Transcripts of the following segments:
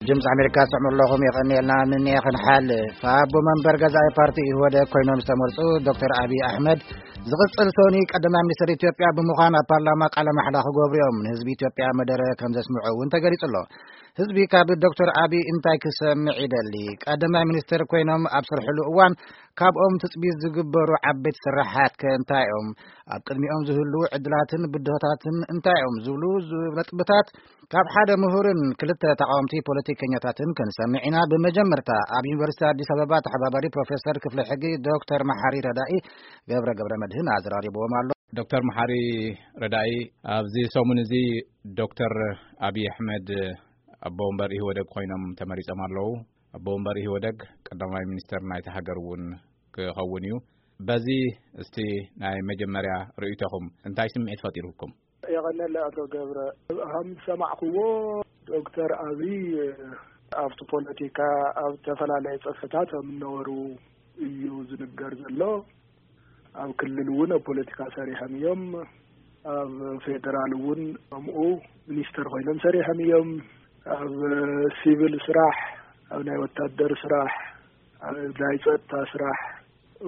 ድምፂ ኣሜሪካ ትሰምዑ ኣለኹም። የቐንየልና። ንንኤ ክንሓልፍ፣ ኣቦ መንበር ገዛኢ ፓርቲ ኢህወደግ ኮይኖም ዝተመርፁ ዶክተር ኣብይ ኣሕመድ ዝቕፅል ሰኒ ቀዳማይ ሚኒስትር ኢትዮጵያ ብምዃን ኣብ ፓርላማ ቃለ ማሕላ ክገብሩ እዮም። ንህዝቢ ኢትዮጵያ መደረ ከም ዘስምዑ እውን ተገሊፁ ኣሎ። ህዝቢ ካብ ዶክተር ኣብይ እንታይ ክሰምዕ ይደሊ? ቀዳማይ ሚኒስትር ኮይኖም ኣብ ዝሰርሕሉ እዋን ካብኦም ትፅቢት ዝግበሩ ዓበይቲ ስራሓት ከ እንታይ እዮም? ኣብ ቅድሚኦም ዝህልዉ ዕድላትን ብድሆታትን እንታይ እዮም? ዝብሉ ነጥብታት ካብ ሓደ ምሁርን ክልተ ተቃወምቲ ፖለቲከኛታትን ክንሰምዕ ኢና። ብመጀመርታ ኣብ ዩኒቨርሲቲ ኣዲስ ኣበባ ተሓባባሪ ፕሮፌሰር ክፍሊ ሕጊ ዶክተር መሓሪ ረዳኢ ገብረ ገብረ መድህን ኣዘራሪብዎም ኣሎ። ዶክተር መሓሪ ረዳኢ፣ ኣብዚ ሰሙን እዚ ዶክተር ኣብይ ኣሕመድ ኣቦ ወንበር ኢህወደግ ኮይኖም ተመሪጾም ኣለዉ። ኣቦ ወንበር ኢህወደግ ቀዳማይ ሚኒስተር ናይቲ ሃገር እውን ክኸውን እዩ። በዚ እስቲ ናይ መጀመርያ ርእይቶኹም እንታይ ስምዒት ፈጢሩኩም? የቐነለ ኣቶ ገብረ፣ ከም ዝሰማዕክዎ ዶክተር ኣብይ ኣብቲ ፖለቲካ ኣብ ዝተፈላለየ ጽፍሕታት ከም እነበሩ እዩ ዝንገር ዘሎ። ኣብ ክልል እውን ኣብ ፖለቲካ ሰሪሖም እዮም። ኣብ ፌደራል እውን ከምኡ ሚኒስተር ኮይኖም ሰሪሖም እዮም። ኣብ ሲቪል ስራሕ፣ ኣብ ናይ ወታደር ስራሕ፣ ኣብ ናይ ጸጥታ ስራሕ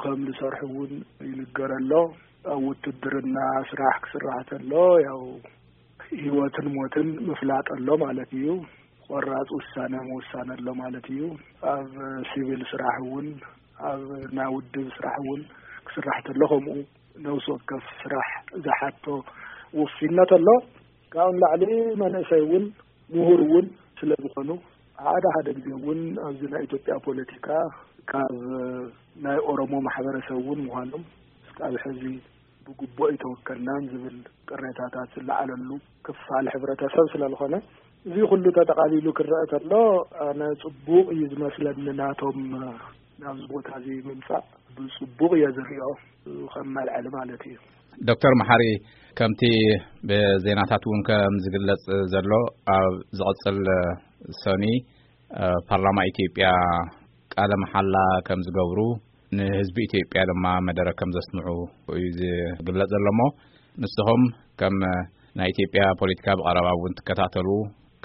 ከም ዝሰርሑ እውን ይንገር ኣሎ። ኣብ ውትድርና ስራሕ ክስራሕ ተሎ ያው ህይወትን ሞትን ምፍላጥ ኣሎ ማለት እዩ። ቆራፅ ውሳነ ምውሳን ኣሎ ማለት እዩ። ኣብ ሲቪል ስራሕ እውን ኣብ ናይ ውድብ ስራሕ እውን ክስራሕ ተሎ ከምኡ ነፍሲ ወከፍ ስራሕ ዝሓቶ ውፊነት ኣሎ። ካብኡ ንላዕሊ መንእሰይ እውን ምሁር እውን ስለ ዝኾኑ ሓደ ሓደ ግዜ እውን ኣብዚ ናይ ኢትዮጵያ ፖለቲካ ካብ ናይ ኦሮሞ ማሕበረሰብ እውን ምዃኖም እስካብ ሕዚ ብግቡእ ኣይተወከልናን ዝብል ቅሬታታት ዝለዓለሉ ክፋል ሕብረተሰብ ስለ ዝኾነ እዚ ኩሉ ተጠቓሊሉ ክረአ ተሎ ኣነ ጽቡቕ እዩ ዝመስለኒ ናቶም ናብዚ ቦታ እዚ ምምጻእ ብጽቡቕ እየ ዝሪኦ ከም መልዐሊ ማለት እዩ። ዶክተር መሓሪ፣ ከምቲ ብዜናታት እውን ከም ዝግለጽ ዘሎ ኣብ ዝቕጽል ሰኒ እ፣ ፓርላማ ኢትዮጵያ ቃለ መሓላ ከም ዝገብሩ ንህዝቢ ኢትዮጵያ ድማ መደረ ከም ዘስምዑ እዩ ዝግለጽ ዘሎ እሞ ንስኹም ከም ናይ ኢትዮጵያ ፖለቲካ ብቐረባ እውን ትከታተሉ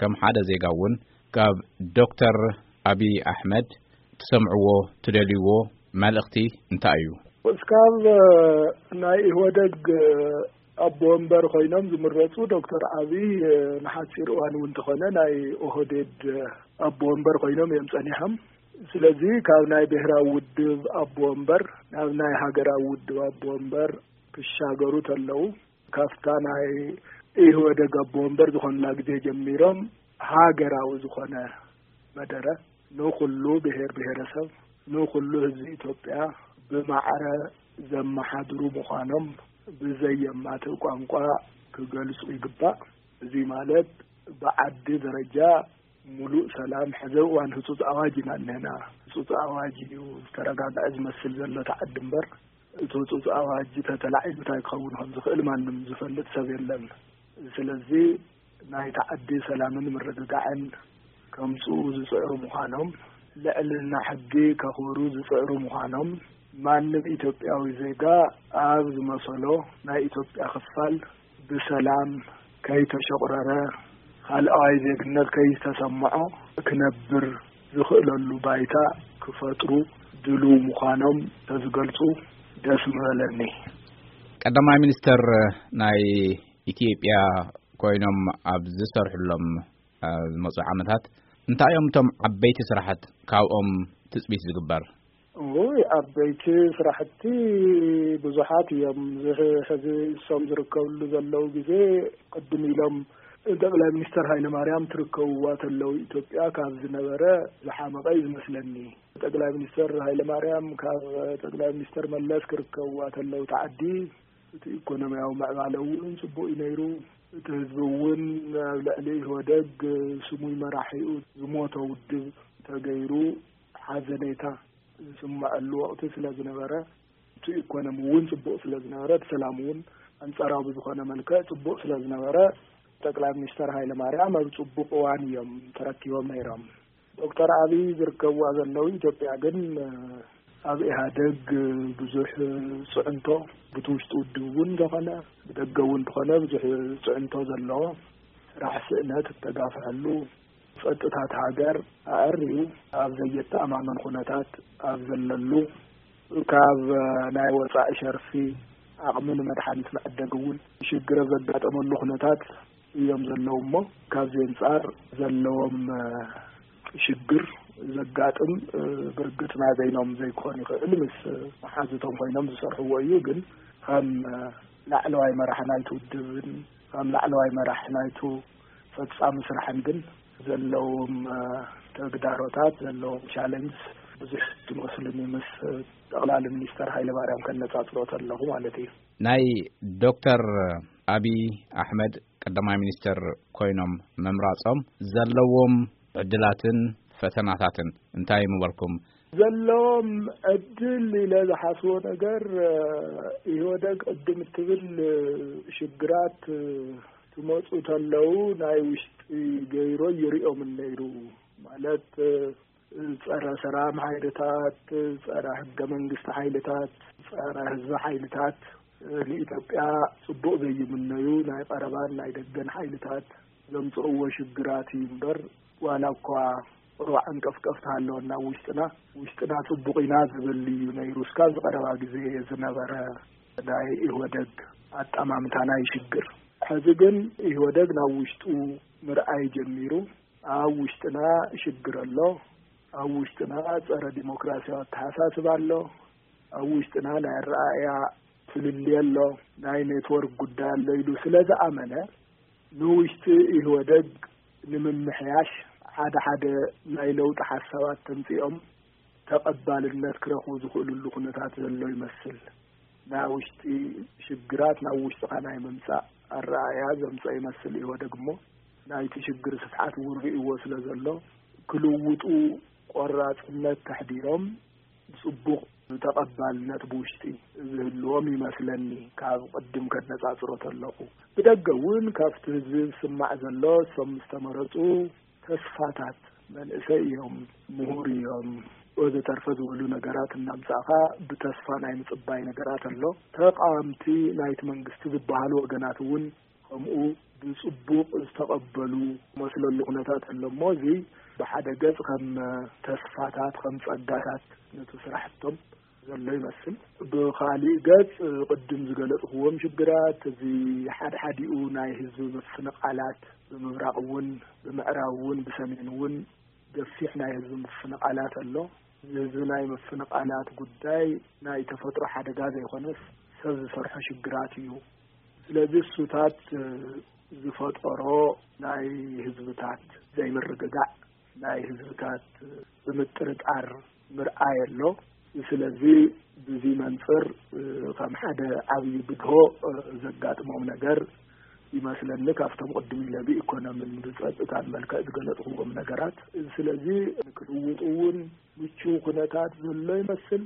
ከም ሓደ ዜጋ እውን ካብ ዶክተር ኣብይ ኣሕመድ ትሰምዕዎ ትደልይዎ መልእኽቲ እንታይ እዩ? እስካብ ናይ ኢህወደግ ኣቦ ወንበር ኮይኖም ዝምረፁ ዶክተር ኣብይ ንሓፂር እዋን እውን እንተኾነ ናይ ኦህዴድ ኣቦ ወንበር ኮይኖም እዮም ፀኒሖም። ስለዚ ካብ ናይ ብሔራዊ ውድብ ኣቦ ወንበር ናብ ናይ ሃገራዊ ውድብ ኣቦ ወንበር ክሻገሩ ተለው ካብታ ናይ ኢህወደግ ኣቦ ወንበር ዝኾኑላ ግዜ ጀሚሮም ሃገራዊ ዝኾነ መደረ ንኹሉ ብሔር ብሔረሰብ ንኹሉ ህዝቢ ኢትዮጵያ ብማዕረ ዘመሓድሩ ምዃኖም ብዘየማትእ ቋንቋ ክገልጹ ይግባእ። እዚ ማለት ብዓዲ ደረጃ ሙሉእ ሰላም ሕዚ እዋን ህጹጽ ኣዋጅ ኢና እነና። ህጹጽ ኣዋጅ እዩ ዝተረጋግዐ ዝመስል ዘሎ እቲ ዓዲ እምበር እቲ ህጹጽ ኣዋጅ ተተላዒሉ እንታይ ክኸውን ከም ዝኽእል ማንም ዝፈልጥ ሰብ የለን። ስለዚ ናይታ ዓዲ ሰላምን ምርግጋዕን ከምጽኡ ዝጽዕሩ ምዃኖም፣ ልዕልና ሕጊ ከኽብሩ ዝጽዕሩ ምዃኖም፣ ማንም ኢትዮጵያዊ ዜጋ ኣብ ዝመሰሎ ናይ ኢትዮጵያ ክፋል ብሰላም ከይተሸቑረረ፣ ካልኣዋይ ዜግነት ከይተሰምዖ ክነብር ዝኽእለሉ ባይታ ክፈጥሩ ድሉው ምዃኖም ተዝገልጹ ደስ ምበለኒ። ቀዳማይ ሚኒስተር ናይ ኢትዮጵያ ኮይኖም ኣብ ዝሰርሕሎም፣ ኣብ ዝመጹ ዓመታት እንታይ እዮም እቶም ዓበይቲ ስራሓት ካብኦም ትጽቢት ዝግበር? እይ፣ ዓበይቲ ስራሕቲ ብዙሓት እዮም። ዝሕ-፣ ሕዚ እሶም ዝርከብሉ ዘለዉ ግዜ ቅድም ኢሎም ጠቅላይ ሚኒስተር ሃይለ ማርያም ትርከብዋ ተለዉ ኢትዮጵያ ካብ ዝነበረ ዝሓመቐ እዩ ዝመስለኒ። ጠቅላይ ሚኒስተር ሃይለ ማርያም ካብ ጠቅላይ ሚኒስተር መለስ ክርከብዋ ተለዉ ተዓዲ እቲ ኢኮኖሚያዊ ምዕባለ እውን ጽቡቕ እዩ ነይሩ። እቲ ህዝቢ እውን ኣብ ልዕሊ ኢህወደግ ስሙይ መራሒኡ ዝሞተ ውድብ ተገይሩ ሓዘኔታ ዝስምዐሉ ወቕቲ ስለ ዝነበረ፣ እቲ ኢኮኖሚ እውን ጽቡቕ ስለ ዝነበረ፣ እቲ ሰላም እውን ኣንጻራዊ ብዝኾነ መልክዕ ጽቡቕ ስለ ዝነበረ፣ ጠቅላይ ሚኒስተር ሃይለ ማርያም ኣብ ጽቡቕ እዋን እዮም ተረኪቦም ነይሮም። ዶክተር ኣብይ ዝርከብዋ ዘለዉ ኢትዮጵያ ግን ኣብ ኢህኣደግ ብዙሕ ጽዕንቶ፣ ብቲ ውሽጢ ውድብ እውን ዝኾነ ብደገ እውን ዝኾነ ብዙሕ ጽዕንቶ ዘለዎ፣ ስራሕ ስእነት እተጋፍሐሉ፣ ጸጥታት ሃገር ኣዕርዩ ኣብ ዘየተኣማመን ኩነታት ኣብ ዘለሉ፣ ካብ ናይ ወጻኢ ሸርፊ ዓቕሚ ንመድሓኒት መዕደጊ እውን ሽግር ኣብ ዘጋጠመሉ ኩነታት እዮም ዘለዉ እሞ፣ ካብዚ ኣንጻር ዘለዎም ሽግር ዘጋጥም ብርግጽ ናይ በይኖም ዘይክኾን ይኽእል፣ ምስ መሓዙቶም ኮይኖም ዝሰርሕዎ እዩ። ግን ከም ላዕለዋይ መራሒ ናይቲ ውድብን ከም ላዕለዋይ መራሒ ናይቱ ፈጻሚ ስራሕን ግን ዘለዎም ተግዳሮታት፣ ዘለዎም ቻለንጅ ብዙሕ ትመስሉኒ ምስ ጠቕላሊ ሚኒስተር ሃይለማርያም ከነጻጽሮ ከለኹ ማለት እዩ። ናይ ዶክተር ኣብይ ኣሕመድ ቀዳማይ ሚኒስተር ኮይኖም ምምራጾም ዘለዎም ዕድላትን ፈተናታትን እንታይ ምበልኩም? ዘለዎም ዕድል ኢለ ዝሓስቦ ነገር፣ ኢህወደግ ቅድም እትብል ሽግራት ክመጹ ተለዉ ናይ ውሽጢ ገይሮ ይሪኦም ነይሩ። ማለት ጸረ ሰላም ሓይልታት፣ ጸረ ሕገ መንግስቲ ሓይልታት፣ ጸረ ህዝቢ ሓይልታት ንኢትዮጵያ ጽቡቕ ዘይምነዩ ናይ ቀረባን ናይ ደገን ሓይልታት ዘምጽእዎ ሽግራት እዩ እምበር፣ ዋላ እኳ ቁሩብ ዓንቀፍቀፍ ተሃለወና ውሽጥና፣ ውሽጥና ጽቡቕ ኢና ዝብል እዩ ነይሩ። እስካብ ዝቐረባ ግዜ ዝነበረ ናይ ኢህወደግ ኣጠማምታ ናይ ሽግር። ሕዚ ግን ኢህወደግ ናብ ውሽጡ ምርኣይ ጀሚሩ። ኣብ ውሽጥና ሽግር ኣሎ። ኣብ ውሽጥና ጸረ ዲሞክራሲያዊ ኣተሓሳስባ ኣሎ። ኣብ ውሽጥና ናይ ኣረኣእያ ፍልልይ ኣሎ። ናይ ኔትወርክ ጉዳይ ኣሎ ኢሉ ስለ ዝኣመነ፣ ንውሽጢ ኢህወደግ ንምምሕያሽ ሓደ ሓደ ናይ ለውጢ ሓሳባት ተምጺኦም ተቐባልነት ክረኽቡ ዝኽእልሉ ኩነታት ዘሎ ይመስል። ናይ ውሽጢ ሽግራት ናብ ውሽጥኻ ናይ ምምጻእ ኣረኣእያ ዘምጽኦ ይመስል ኢህወደግ እሞ፣ ናይቲ ሽግር ስፍሓት እውን ርእይዎ ስለ ዘሎ፣ ክልውጡ ቆራጽነት ከሕዲሮም ጽቡቕ ተቐባልነት ብውሽጢ ዝህልዎም ይመስለኒ፣ ካብ ቅድም ከነጻጽሮ ተለኹ። ብደገ እውን ካብቲ ህዝቢ ዝስማዕ ዘሎ፣ እሶም ምስ ተመረጹ ተስፋታት፣ መንእሰይ እዮም፣ ምሁር እዮም፣ ወዘተርፈ ዝበሉ ነገራት እናምጻእኻ ብተስፋ ናይ ምጽባይ ነገራት ኣሎ። ተቃወምቲ ናይቲ መንግስቲ ዝበሃሉ ወገናት እውን ከምኡ ብጽቡቕ ዝተቐበሉ መስለሉ ኩነታት ኣሎ እሞ፣ እዚ ብሓደ ገጽ ከም ተስፋታት፣ ከም ጸጋታት ነቲ ስራሕቶም ዘሎ ይመስል። ብኻሊእ ገጽ፣ ቅድም ዝገለጽክዎም ሽግራት፣ እዚ ሓድሓዲኡ ናይ ህዝቢ ምፍንቓላት፣ ብምብራቕ እውን፣ ብምዕራብ እውን፣ ብሰሜን እውን ገፊሕ ናይ ህዝቢ ምፍንቓላት ኣሎ። እዚ ህዝቢ ናይ ምፍንቓላት ጉዳይ ናይ ተፈጥሮ ሓደጋ ዘይኮነስ፣ ሰብ ዝሰርሖ ሽግራት እዩ። ስለዚ እሱታት ዝፈጠሮ ናይ ህዝብታት ዘይምርግጋዕ፣ ናይ ህዝብታት ብምጥርጣር ምርኣይ ኣሎ። ስለዚ ብዚ መንጽር ከም ሓደ ዓብዪ ብድሆ ዘጋጥሞም ነገር ይመስለኒ፣ ካብቶም ቅድም ኢለ ብኢኮኖምን ብጸጥታን መልክዕ ዝገለጽክዎም ነገራት። ስለዚ ንክልውጡ እውን ምቹው ኩነታት ዘሎ ይመስል።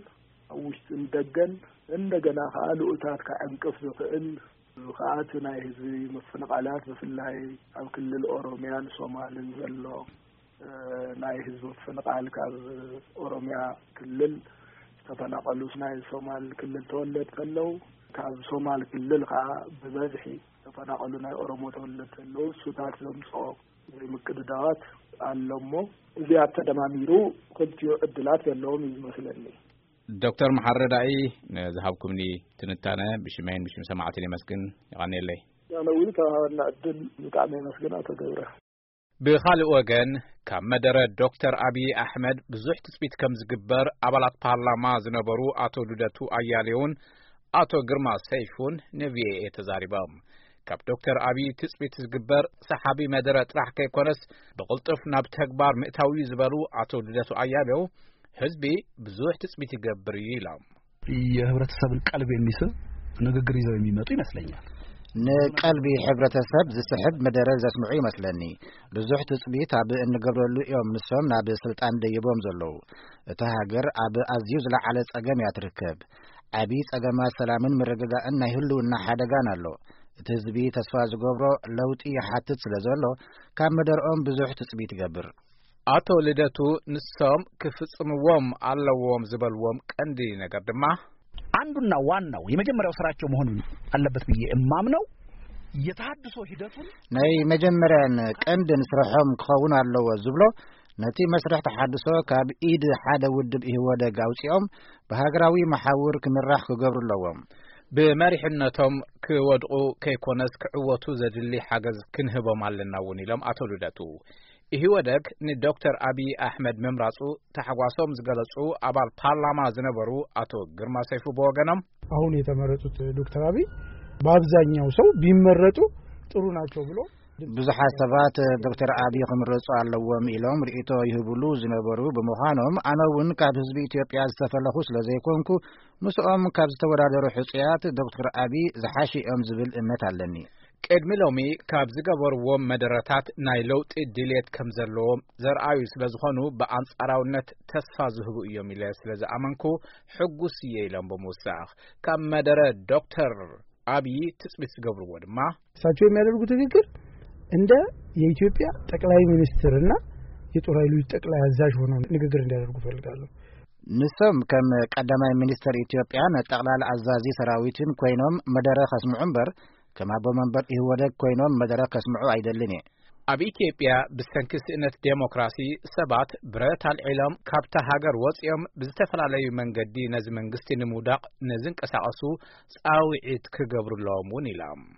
ኣብ ውሽጥን ደገን እንደገና ከኣ ልኡታት ከዕንቅፍ ዝኽእል ከኣ እቲ ናይ ህዝቢ ምፍንቓላት፣ ብፍላይ ኣብ ክልል ኦሮምያን ሶማልን ዘሎ፣ እ፣ ናይ ህዝቢ ምፍንቓል፣ ካብ ኦሮምያ ክልል ዝተፈናቐሉስ ናይ ሶማል ክልል ተወለድቲ ኣለዉ። ካብ ሶማል ክልል ከኣ ብበዝሒ ዝተፈናቐሉ ናይ ኦሮሞ ተወለድቲ ኣለዉ። እሱታት ዘምጽኦ ዘይምቅድዳዋት ኣሎ እሞ፣ እዚኣት ተደማሚሩ ክልቲኡ ዕድላት ዘለዎም እዩ ዝመስለኒ። ዶክተር መሓሪ ረዳኢ፣ ንዝሃብኩምኒ ትንታነ ብሽመይን ብሽም ሰማዕትን የመስግን። የቐንየለይ። ኣነ እውን ተባባልና ዕድል ብጣዕሚ የመስግን ኣቶ ገብረ። ብኻልእ ወገን፣ ካብ መደረ ዶክተር ኣብዪ ኣሕመድ ብዙሕ ትጽቢት ከም ዝግበር ኣባላት ፓርላማ ዝነበሩ ኣቶ ልደቱ ኣያሌውን ኣቶ ግርማ ሰይፉን ንቪኦኤ ተዛሪቦም። ካብ ዶክተር ኣብዪ ትጽቢት ዝግበር ሰሓቢ መደረ ጥራሕ ከይኮነስ፣ ብቕልጡፍ ናብ ተግባር ምእታው እዩ ዝበሉ ኣቶ ልደቱ ኣያሌው፣ ህዝቢ ብዙሕ ትጽቢት ይገብር እዩ ኢሎም። የህብረተሰብን ቀልቢ የሚስብ ንግግር ይዘው የሚመጡ ይመስለኛል። ንቀልቢ ሕብረተሰብ ዝስሕብ መደረ ዘስምዑ ይመስለኒ። ብዙሕ ትጽቢት ኣብ እንገብረሉ እዮም ንሶም ናብ ስልጣን ደይቦም ዘለዉ። እታ ሃገር ኣብ ኣዝዩ ዝለዓለ ጸገም እያ ትርከብ። ዓቢ ጸገማት ሰላምን ምርግጋእን ናይ ህልውና ሓደጋን ኣሎ። እቲ ህዝቢ ተስፋ ዝገብሮ ለውጢ ይሓትት ስለ ዘሎ፣ ካብ መደርኦም ብዙሕ ትጽቢት ይገብር። ኣቶ ልደቱ፣ ንሶም ክፍጽምዎም ኣለዎም ዝበልዎም ቀንዲ ነገር ድማ፣ አንዱና ዋናው የመጀመሪያው ስራቸው መሆን አለበት ብዬ እማምነው የተሃድሶ ሂደቱን ናይ መጀመርያን ቀንድን ስርሖም ክኸውን ኣለዎ ዝብሎ፣ ነቲ መስርሕ ተሓድሶ ካብ ኢድ ሓደ ውድብ ኢህወደግ ኣውጺኦም ብሃገራዊ መሓውር ክምራሕ ክገብሩ ኣለዎም። ብመሪሕነቶም ክወድቑ ከይኮነስ ክዕወቱ ዘድሊ ሓገዝ ክንህቦም ኣለና እውን ኢሎም ኣቶ ልደቱ። ኢህወደግ ንዶክተር ኣብይ ኣሕመድ ምምራጹ ታሕጓሶም ዝገለጹ ኣባል ፓርላማ ዝነበሩ ኣቶ ግርማ ሰይፉ ብወገኖም፣ አሁን የተመረጡት ዶክተር አብይ በአብዛኛው ሰው ቢመረጡ ጥሩ ናቸው ብሎ ብዙሓት ሰባት ዶክተር ኣብይ ክምረጹ ኣለዎም ኢሎም ርእይቶ ይህብሉ ዝነበሩ ብምዃኖም፣ ኣነ እውን ካብ ህዝቢ ኢትዮጵያ ዝተፈለኹ ስለ ዘይኮንኩ፣ ምስኦም ካብ ዝተወዳደሩ ሕጹያት ዶክተር ኣብይ ዝሓሹ እዮም ዝብል እምነት ኣለኒ። ቅድሚ ሎሚ ካብ ዝገበርዎም መደረታት ናይ ለውጢ ድልየት ከም ዘለዎም ዘርኣዩ ስለ ዝኾኑ፣ ብኣንጻራውነት ተስፋ ዝህቡ እዮም ኢለ ስለ ዝኣመንኩ ሕጉስ እየ ኢሎም ብምውሳኽ፣ ካብ መደረ ዶክተር ኣብይ ትጽቢት ዝገብርዎ ድማ እሳቸው የሚያደርጉት ንግግር እንደ የኢትዮጵያ ጠቅላይ ሚኒስትርና የጦር ኃይሎች ጠቅላይ አዛዥ ሆነው ንግግር እንዲያደርጉ እፈልጋለሁ። ንሶም ከም ቀዳማይ ሚኒስተር ኢትዮጵያን ጠቕላላ ኣዛዚ ሰራዊትን ኮይኖም መደረ ከስምዑ እምበር፣ ከም ኣቦ መንበር ኢህወደግ ኮይኖም መደረ ከስምዑ ኣይደልን እየ። ኣብ ኢትዮጵያ ብሰንኪ ስእነት ዴሞክራሲ ሰባት ብረት ኣልዒሎም ካብታ ሃገር ወጺኦም ብዝተፈላለዩ መንገዲ ነዚ መንግስቲ ንምውዳቕ ንዝንቀሳቐሱ ጻውዒት ክገብሩ ኣለዎም እውን ኢሎም።